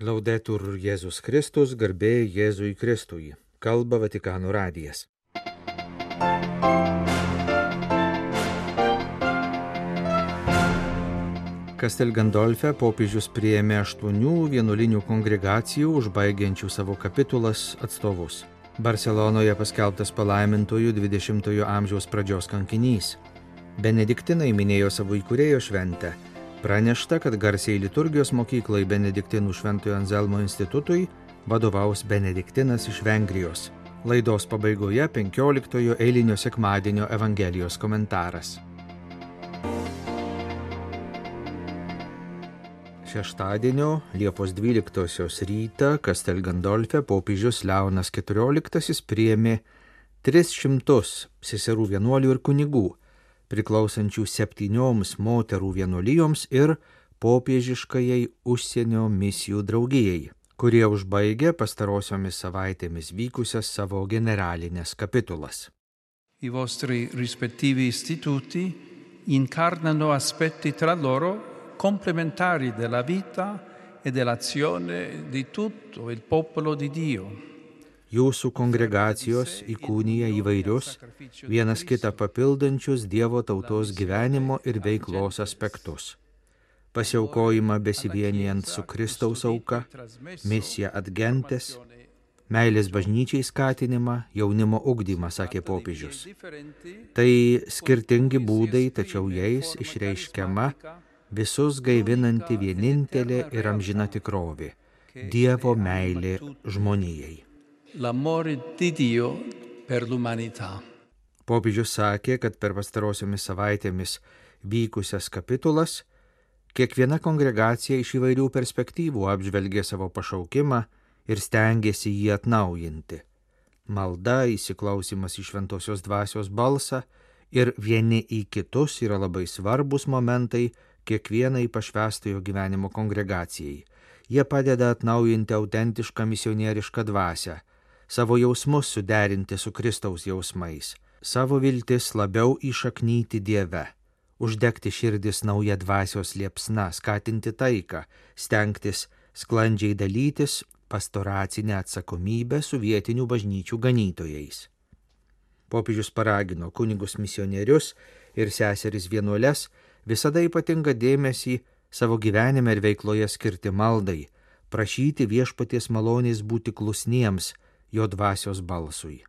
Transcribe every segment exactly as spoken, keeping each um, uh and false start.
Laudetur Jėzus Kristus, garbė Jėzui Kristui. Kalba Vatikano radijas. Castel Gandolfe popiežius priėmė aštuonių vienuolinių kongregacijų užbaigiančių savo kapitulas atstovus. Barselonoje paskelbtas palaimintojų dvidešimtojo amžiaus pradžios kankinys. Benediktinai minėjo savo įkūrėjo šventę. Pranešta, kad garsiai liturgijos mokyklai Benediktinų Šventojo Anzelmo institutui vadovaus Benediktinas iš Vengrijos. Laidos pabaigoje penkioliktojo eilinio sekmadienio Evangelijos komentaras. Šeštadienio Liepos dvyliktosios rytą Castel Gandolfe popiežius Leonas keturioliktasis priėmė tris šimtus seserų vienuolių ir kunigų, priklausančių septynioms moterų vienuolijoms ir popiežiškajai užsienio misijų draugijai, kurie užbaigė pastarosiomis savaitėmis vykusias savo generalinės kapitulas. I vostri rispettivi istituti incarnano aspetti tra loro complementari della vita e dell'azione di tutto il popolo di Dio. Jūsų kongregacijos įkūnija įvairius, vienas kitą papildančius Dievo tautos gyvenimo ir veiklos aspektus. Pasiaukojimą besivienijant su Kristaus auka, misija ad gentes, meilės bažnyčiai skatinimą, jaunimo ugdymą, sakė popiežius. Tai skirtingi būdai, tačiau jais išreiškiama visus gaivinanti vienintelė ir amžina tikrovė – Dievo meilė žmonijai. L'amore di Dio per l'umanità. Popiežius sakė, kad per pastarosiomis savaitėmis vykusias kapitulas kiekviena kongregacija iš įvairių perspektyvų apžvelgė savo pašaukimą ir stengėsi jį atnaujinti. Malda, įsiklausimas į šventosios dvasios balsą ir vieni į kitus yra labai svarbus momentai kiekvienai pašvęstojo gyvenimo kongregacijai. Jie padeda atnaujinti autentišką misionierišką dvasią, savo jausmus suderinti su Kristaus jausmais, savo viltis labiau įšaknyti Dieve, uždegti širdis nauja dvasios liepsna, skatinti taiką, stengtis sklandžiai dalytis pastoracinę atsakomybę su vietinių bažnyčių ganytojais. Popiežius paragino kunigus misionierius ir seseris vienuoles visada ypatingą dėmesį savo gyvenime ir veikloje skirti maldai, prašyti viešpaties malonės būti klusniems jo dvasios balsui.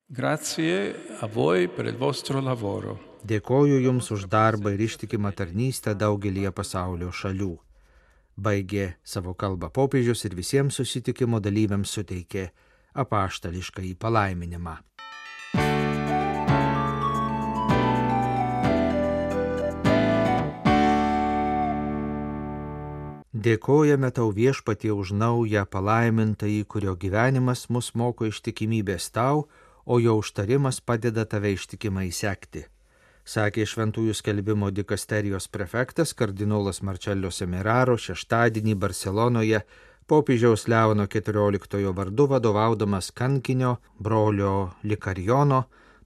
Grazie a voi per il vostro lavoro. Dėkoju Jums už darbą ir ištikimą tarnystę daugelyje pasaulio šalių. Baigė savo kalbą popiežius ir visiems susitikimo dalyviams suteikė apaštališkąjį palaiminimą. Dėkojame Tau viešpatie už naują palaimintąjį, kurio gyvenimas mus moko ištikimybės Tau, o jo užtarimas padeda Tave ištikimai sekti, sakė šventųjų skelbimo dikasterijos prefektas kardinolas Marcello Semeraro šeštadienį Barselonoje popiežiaus Leono keturioliktojo vardu vadovaudamas kankinio brolio Likarijono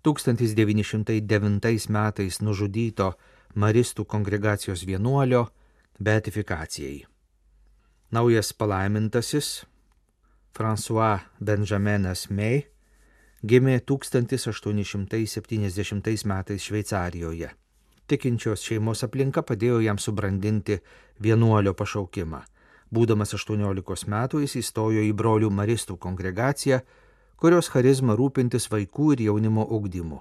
tūkstantis devyni šimtai devintais metais nužudyto maristų kongregacijos vienuolio beatifikacijai. Naujas palaimintasis François Benjaminas May gimė tūkstantis aštuoni šimtai septyniasdešimtais metais Šveicarijoje. Tikinčios šeimos aplinka padėjo jam subrandinti vienuolio pašaukimą. Būdamas aštuoniolikos metų jis įstojo į brolių maristų kongregaciją, kurios charizma rūpintis vaikų ir jaunimo ugdymu.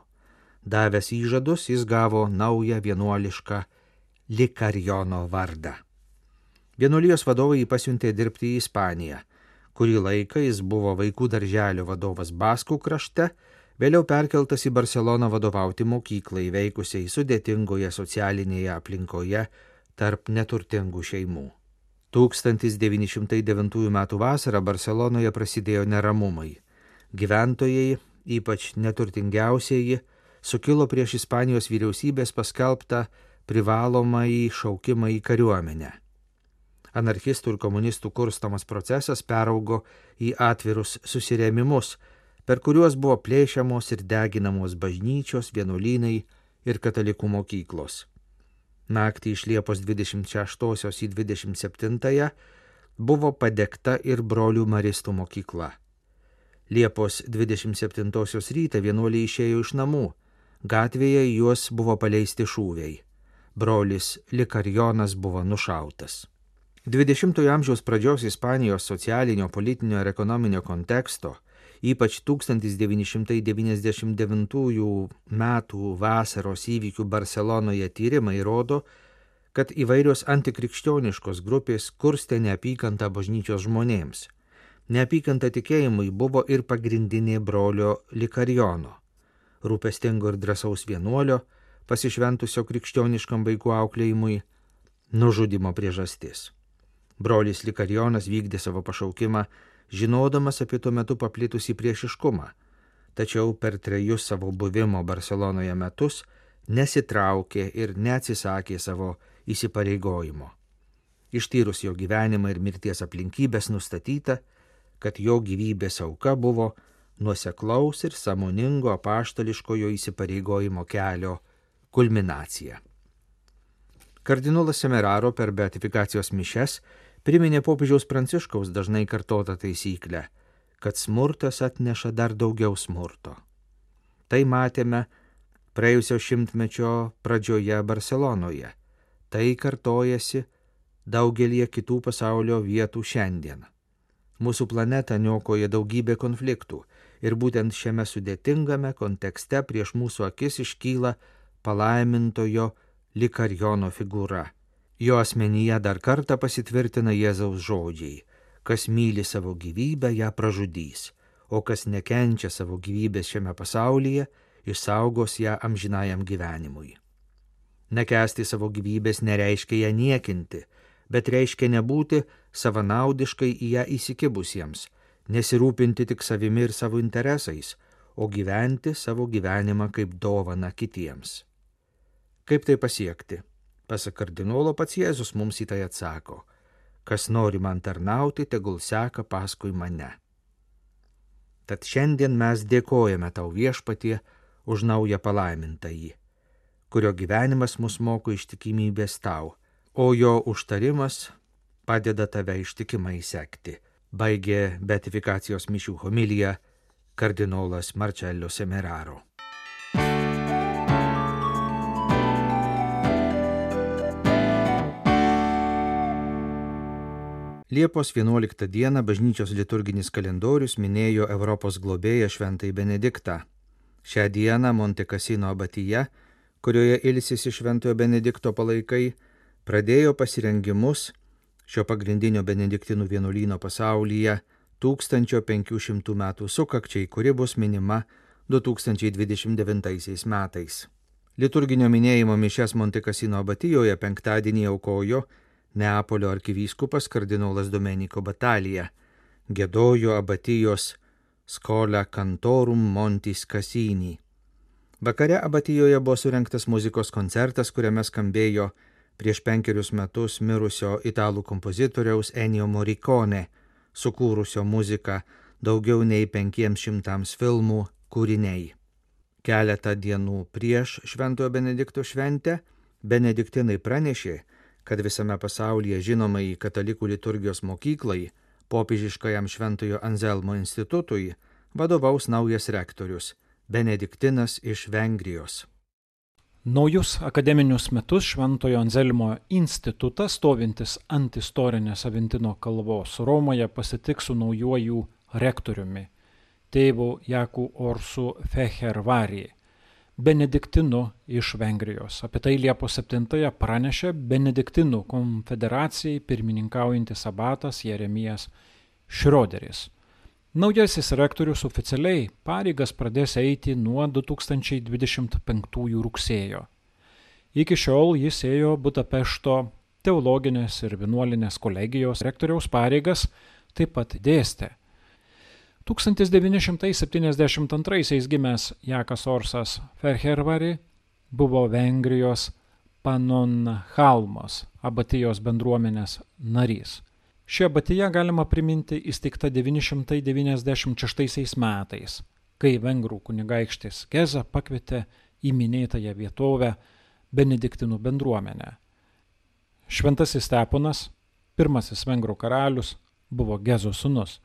Davęs įžadus, jis gavo naują vienuolišką Likarijono vardą. Vienuolijos vadovai jį pasiuntė dirbti į Ispaniją. Kurį laiką jis buvo vaikų darželio vadovas Baskų krašte, vėliau perkeltas į Barseloną vadovauti mokyklai veikusiai sudėtingoje socialinėje aplinkoje tarp neturtingų šeimų. tūkstantis devyni šimtai devintųjų metų vasarą Barselonoje prasidėjo neramumai. Gyventojai, ypač neturtingiausieji, sukilo prieš Ispanijos vyriausybės paskelbtą privalomąjį šaukimą į kariuomenę. Anarchistų ir komunistų kurstomas procesas peraugo į atvirus susirėmimus, per kuriuos buvo plėšiamos ir deginamos bažnyčios, vienuolynai ir katalikų mokyklos. Naktį iš Liepos dvidešimt šeštosios į dvidešimt septintąją buvo padegta ir brolių maristų mokykla. Liepos dvidešimt septintosios rytą vienuoliai išėjo iš namų. Gatvėje juos buvo paleisti šūviai. Brolis Likarijonas buvo nušautas. dvidešimtojo amžiaus pradžios Ispanijos socialinio, politinio ir ekonominio konteksto, ypač tūkstantis devyni šimtai devyniasdešimt devintųjų metų vasaros įvykių Barselonoje tyrimai rodo, kad įvairios antikrikščioniškos grupės kurstė neapykantą bažnyčios žmonėms. Neapykanta tikėjimui buvo ir pagrindinė brolio Likarijono, rūpestingo ir drąsaus vienuolio, pasišventusio krikščioniškam vaikų auklėjimui, nužudimo priežastis. Brolis Likarijonas vykdė savo pašaukimą, žinodamas apie tuo metu paplitusį priešiškumą, tačiau per trejus savo buvimo Barselonoje metus nesitraukė ir neatsisakė savo įsipareigojimo. Ištyrus jo gyvenimą ir mirties aplinkybės nustatyta, kad jo gyvybės auka buvo nuoseklaus ir sąmoningo apaštališkojo įsipareigojimo kelio kulminacija. Kardinolas Semeraro per beatifikacijos mišias priminė popiežiaus Pranciškaus dažnai kartotą taisyklę, kad smurtas atneša dar daugiau smurto. Tai matėme praėjusio šimtmečio pradžioje Barselonoje. Tai kartojasi daugelie kitų pasaulio vietų šiandien. Mūsų planetą niokoja daugybė konfliktų ir būtent šiame sudėtingame kontekste prieš mūsų akis iškyla palaimintojo Likarijono figūra. Jo asmenyje dar kartą pasitvirtina Jėzaus žodžiai: kas myli savo gyvybę, ją pražudys, o kas nekenčia savo gyvybės šiame pasaulyje, išsaugos ją amžinajam gyvenimui. Nekęsti savo gyvybės nereiškia ją niekinti, bet reiškia nebūti savanaudiškai į ją įsikibusiems, nesirūpinti tik savimi ir savo interesais, o gyventi savo gyvenimą kaip dovaną kitiems. Kaip tai pasiekti? Pasak kardinolo, pats Jėzus mums į tai atsako: kas nori man tarnauti, tegul seka paskui mane. Tad šiandien mes dėkojame tau, Viešpatie, už naują palaimintąjį, kurio gyvenimas mus moko ištikimybės tau, o jo užtarimas padeda tave ištikimai sekti, baigė beatifikacijos mišių homiliją kardinolas Marcello Semeraro. Liepos vienuoliktą dieną bažnyčios liturginis kalendorius minėjo Europos globėją Šventąjį Benediktą. Šią dieną Monte Cassino abatija, kurioje ilsisi Šventojo Benedikto palaikai, pradėjo pasirengimus šio pagrindinio benediktinų vienuolyno pasaulyje tūkstančio penkių šimtų metų sukakčiai, kuri bus minima du tūkstančiai dvidešimt devintaisiais metais. Liturginio minėjimo mišias Monte Cassino abatijoje penktadienį aukojo Neapolio arkivyskupas kardinolas Domenico Batalija, giedojo abatijos Schola Cantorum Montis Cassini. Vakare abatijoje buvo surengtas muzikos koncertas, kuriame skambėjo prieš penkerius metus mirusio italų kompozitoriaus Ennio Morricone, sukūrusio muziką daugiau nei penkiems šimtams filmų kūriniai. Keletą dienų prieš Šventojo Benedikto šventę benediktinai pranešė, kad visame pasaulyje žinomai katalikų liturgijos mokyklai, popiežiškajam Šventojo Anzelmo institutui, vadovaus naujas rektorius, benediktinas iš Vengrijos. Naujus akademinius metus Šventojo Anzelmo institutas, stovintis ant istorinės Aventino kalvos Romoje, pasitiks su naujuoju rektoriumi, tėvu Jaku Orsu Fehervari, benediktinu iš Vengrijos. Apie tai Liepos septintąją pranešė Benediktinų konfederacijai pirmininkaujantis abatas Jeremijas Šrioderis. Naujasis rektorius oficialiai pareigas pradės eiti nuo du tūkstančiai dvidešimt penktųjų rugsėjo. Iki šiol jis ėjo Budapešto teologinės ir vienuolinės kolegijos rektoriaus pareigas, taip pat dėstė. tūkstantis devyni šimtai septyniasdešimt antraisiais gimęs Jakas Orsas Fehervari buvo Vengrijos Pannonhalmos abatijos bendruomenės narys. Ši abatija galima priminti įsteigta devyni šimtai devyniasdešimt šeštaisiais metais, kai vengrų kunigaikštis Geza pakvietė į minėtąją vietovę benediktinų bendruomenę. Šventasis Steponas Pirmasis vengrų karalius buvo Gezo sūnus.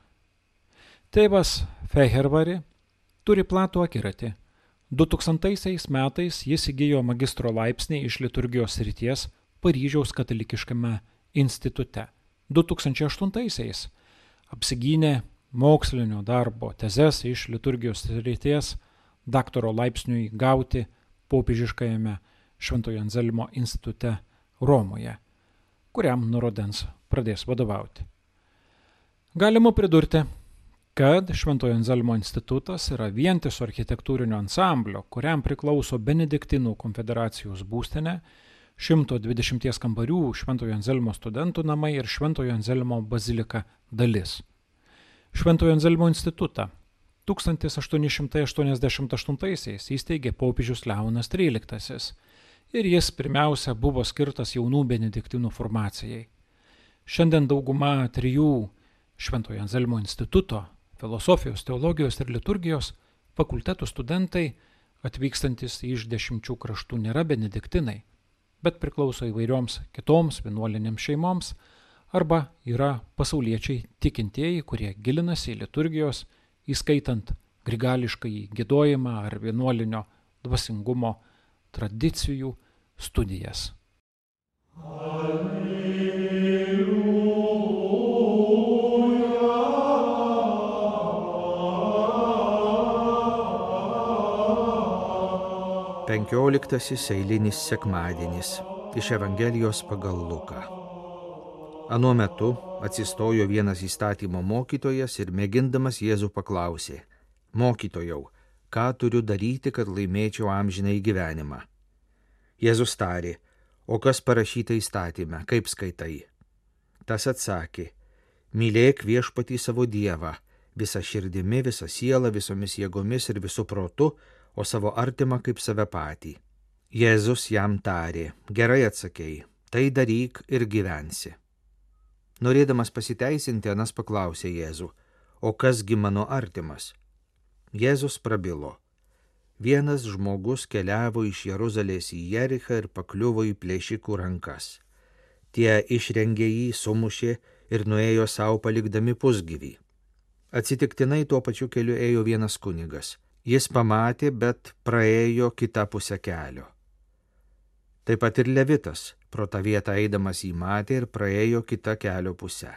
Tėvas Fehervari turi platų akiratį. du tūkstantaisiais metais jis įgijo magistro laipsnį iš liturgijos srities Paryžiaus katalikiškame institute. du tūkstančiai aštuntaisiais apsigynė mokslinio darbo tezes iš liturgijos srities daktaro laipsniui gauti popiežiškajame Šventojo Anzelmo institute Romoje, kuriam nuo rudens pradės vadovauti. Galima pridurti, kad Šventojo Anzelmo institutas yra vientiso architektūrinio ansamblio, kuriam priklauso Benediktinų konfederacijos būstinė, šimto dvidešimties kambarių Šventojo Anzelmo studentų namai ir Šventojo Anzelmo bazilika dalis. Šventojo Anzelmo institutą tūkstantis aštuoni šimtai aštuoniasdešimt aštuntaisiais įsteigė popiežius Leonas tryliktasis ir jis pirmiausia buvo skirtas jaunų benediktinų formacijai. Šiandien dauguma trijų Šventojo Anzelmo instituto, filosofijos, teologijos ir liturgijos fakultetų studentai atvykstantis iš dešimčių kraštų nėra benediktinai, bet priklauso įvairioms kitoms vienuolinėms šeimoms arba yra pasauliečiai tikintieji, kurie gilinasi į liturgijos, įskaitant grigališkąjį giedojimą ar vienuolinio dvasingumo tradicijų studijas. Penkioliktasis eilinis sekmadienis iš Evangelijos pagal Luką. Anuo metu atsistojo vienas įstatymo mokytojas ir mėgindamas Jėzų paklausė: Mokytojau, ką turiu daryti, kad laimėčiau amžinąjį gyvenimą? Jėzus tarė: O kas parašyta įstatyme, kaip skaitai? Tas atsakė: Mylėk Viešpatį savo Dievą, visa širdimi, visa siela, visomis jėgomis ir visu protu, o savo artimą kaip save patį. Jėzus jam tarė: Gerai atsakei, tai daryk ir gyvensi. Norėdamas pasiteisinti, anas paklausė Jėzų: O kasgi mano artimas? Jėzus prabilo: Vienas žmogus keliavo iš Jeruzalės į Jerichą ir pakliuvo į plėšikų rankas. Tie išrengė jį, sumušė ir nuėjo savo palikdami pusgyvį. Atsitiktinai tuo pačiu keliu ėjo vienas kunigas. Jis pamatė, bet praėjo kitą pusę kelio. Taip pat ir Levitas pro tą vietą eidamas jį matė ir praėjo kitą kelio pusę.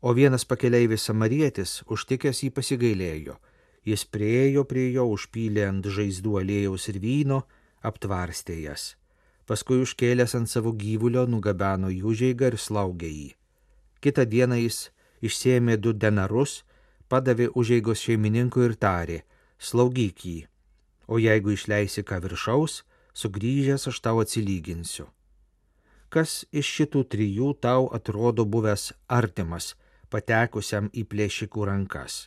O vienas pakeleivis samarietis, užtikęs jį pasigailėjo. Jis priėjo prie jo, užpylė ant žaizdų aliejaus ir vyno, aptvarstė jas. Paskui užkėlęs ant savo gyvulio nugabeno į užeigą ir slaugė jį. Kitą dieną jis išsėmė du denarus, padavė užeigos šeimininkui ir tarė: Slaugyk jį, o jeigu išleisi ką viršaus, sugrįžęs aš tau atsilyginsiu. Kas iš šitų trijų tau atrodo buvęs artimas, patekusiam į plėšikų rankas?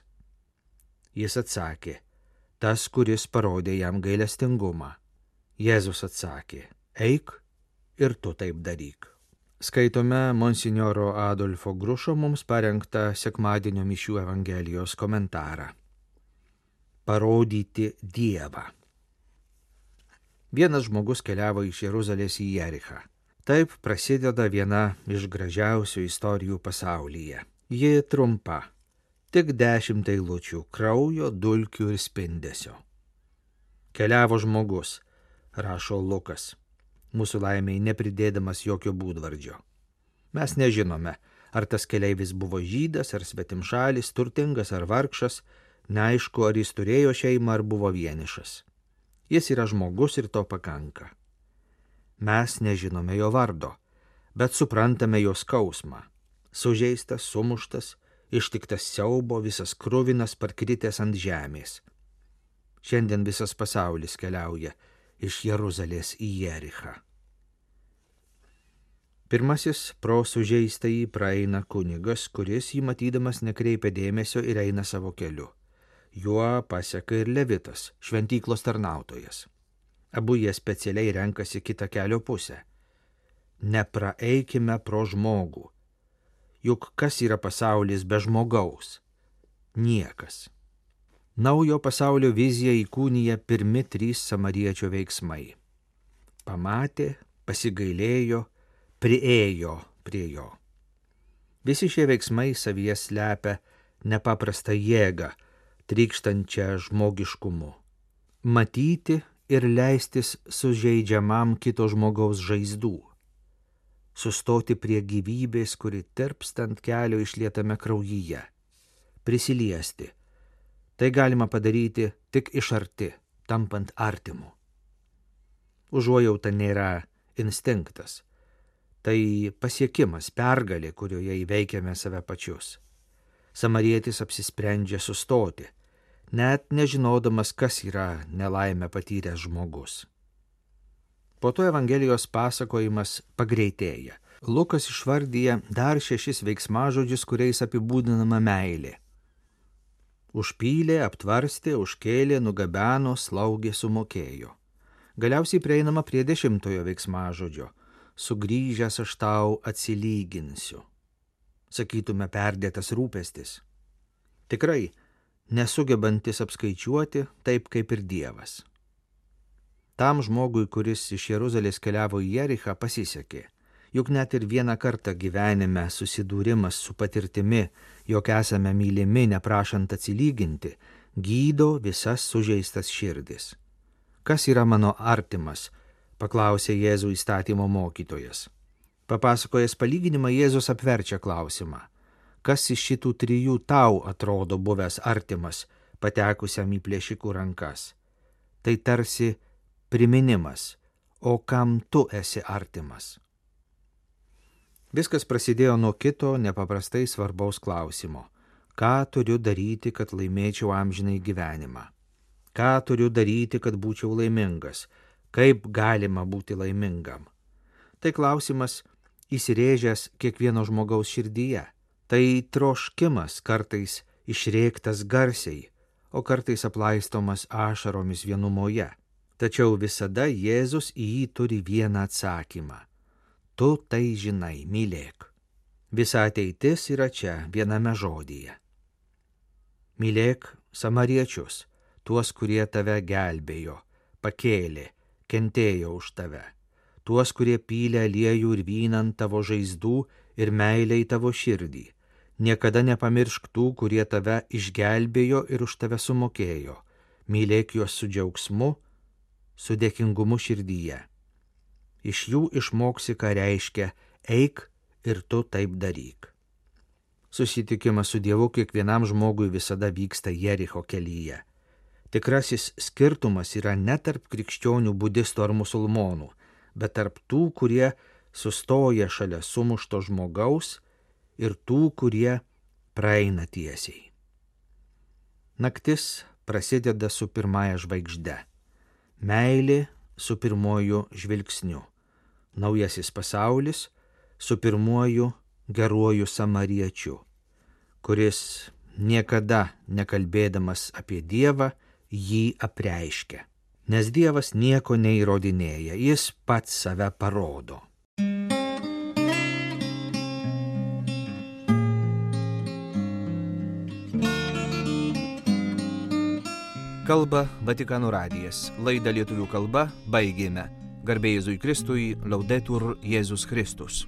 Jis atsakė: Tas, kuris parodė jam gailestingumą. Jėzus atsakė: Eik ir tu taip daryk. Skaitome monsinjoro Adolfo Grušo mums parengtą sekmadienio mišių Evangelijos komentarą. Parodyti Dievą. Vienas žmogus keliavo iš Jeruzalės į Jerichą. Taip prasideda viena iš gražiausių istorijų pasaulyje. Ji trumpa, tik dešimt eilučių kraujo, dulkių ir spindesio. Keliavo žmogus, rašo Lukas, mūsų laimiai nepridėdamas jokio būdvardžio. Mes nežinome, ar tas keleivis buvo žydas, ar svetimšalis, turtingas ar vargšas, neaišku, ar jis turėjo šeimą, ar buvo vienišas. Jis yra žmogus ir to pakanka. Mes nežinome jo vardo, bet suprantame jo skausmą. Sužeistas, sumuštas, ištiktas siaubo, visas kruvinas, parkritęs ant žemės. Šiandien visas pasaulis keliauja iš Jeruzalės į Jerichą. Pirmasis pro sužeistąjį praeina kunigas, kuris jį matydamas nekreipia dėmesio ir eina savo keliu. Juo paseka ir Levitas, šventyklos tarnautojas. Abu jie specialiai renkasi kitą kelio pusę. Nepraeikime pro žmogų. Juk kas yra pasaulis be žmogaus? Niekas. Naujo pasaulio viziją įkūnija pirmi trys samariečio veiksmai. Pamatė, pasigailėjo, priėjo prie jo. Visi šie veiksmai savyje slepia nepaprastą jėgą, trykštančią žmogiškumu. Matyti ir leistis sužeidžiamam kito žmogaus žaizdų. Sustoti prie gyvybės, kuri tirpstant kelio išlietame kraujyje. Prisiliesti. Tai galima padaryti tik iš arti, tampant artimu. Užuojauta nėra instinktas. Tai pasiekimas, pergalė, kurioje įveikiame save pačius. Samarietis apsisprendžia sustoti, net nežinodamas, kas yra nelaimę patyręs žmogus. Po to Evangelijos pasakojimas pagreitėja. Lukas išvardyja dar šešis veiksmažodžius, kuriais apibūdinama meilė. Užpylė, aptvarstė, užkėlė, nugabeno, slaugė, sumokėjo. Galiausiai prieinama prie dešimtojo veiksmažodžio. Sugrįžęs aš tau atsilyginsiu. Sakytume, perdėtas rūpestis. Tikrai, nesugebantis apskaičiuoti taip kaip ir Dievas. Tam žmogui, kuris iš Jeruzalės keliavo į Jerichą, pasisekė. Juk net ir vieną kartą gyvenime susidūrimas su patirtimi, jog esame mylimi neprašant atsilyginti, gydo visas sužeistas širdis. Kas yra mano artimas? Paklausė Jėzų įstatymo mokytojas. Papasakojęs palyginimą, Jėzus apverčia klausimą. Kas iš šitų trijų tau atrodo buvęs artimas, patekusiam į plėšikų rankas? Tai tarsi priminimas, o kam tu esi artimas? Viskas prasidėjo nuo kito nepaprastai svarbaus klausimo. Ką turiu daryti, kad laimėčiau amžinai gyvenimą? Ką turiu daryti, kad būčiau laimingas? Kaip galima būti laimingam? Tai klausimas įsirėžęs kiekvieno žmogaus širdyje. Tai troškimas, kartais išrėktas garsiai, o kartais aplaistomas ašaromis vienumoje. Tačiau visada Jėzus į jį turi vieną atsakymą. Tu tai žinai, mylėk. Visa ateitis yra čia viename žodyje. Mylėk samariečius, tuos, kurie tave gelbėjo, pakėlė, kentėjo už tave, tuos, kurie pylė aliejų ir vyną ant tavo žaizdų ir meilę į tavo širdį. Niekada nepamiršk tų, kurie tave išgelbėjo ir už tave sumokėjo. Mylėk juos su džiaugsmu, su dėkingumu širdyje. Iš jų išmoksi, ką reiškia eik ir tu taip daryk. Susitikimas su Dievu kiekvienam žmogui visada vyksta Jericho kelyje. Tikrasis skirtumas yra ne tarp krikščionių, budistų ar musulmonų, bet tarp tų, kurie sustoja šalia sumušto žmogaus ir tų, kurie praeina tiesiai. Naktis prasideda su pirmąja žvaigžde. Meilė su pirmuoju žvilgsniu. Naujasis pasaulis su pirmuoju geruoju samariečiu, kuris niekada nekalbėdamas apie Dievą jį apreiškia. Nes Dievas nieko neįrodinėja, jis pats save parodo. Kalba Vatikano radijas. Laidą lietuvių kalba baigėme. Garbė Jėzui Kristui, Laudetur Jėzus Kristus.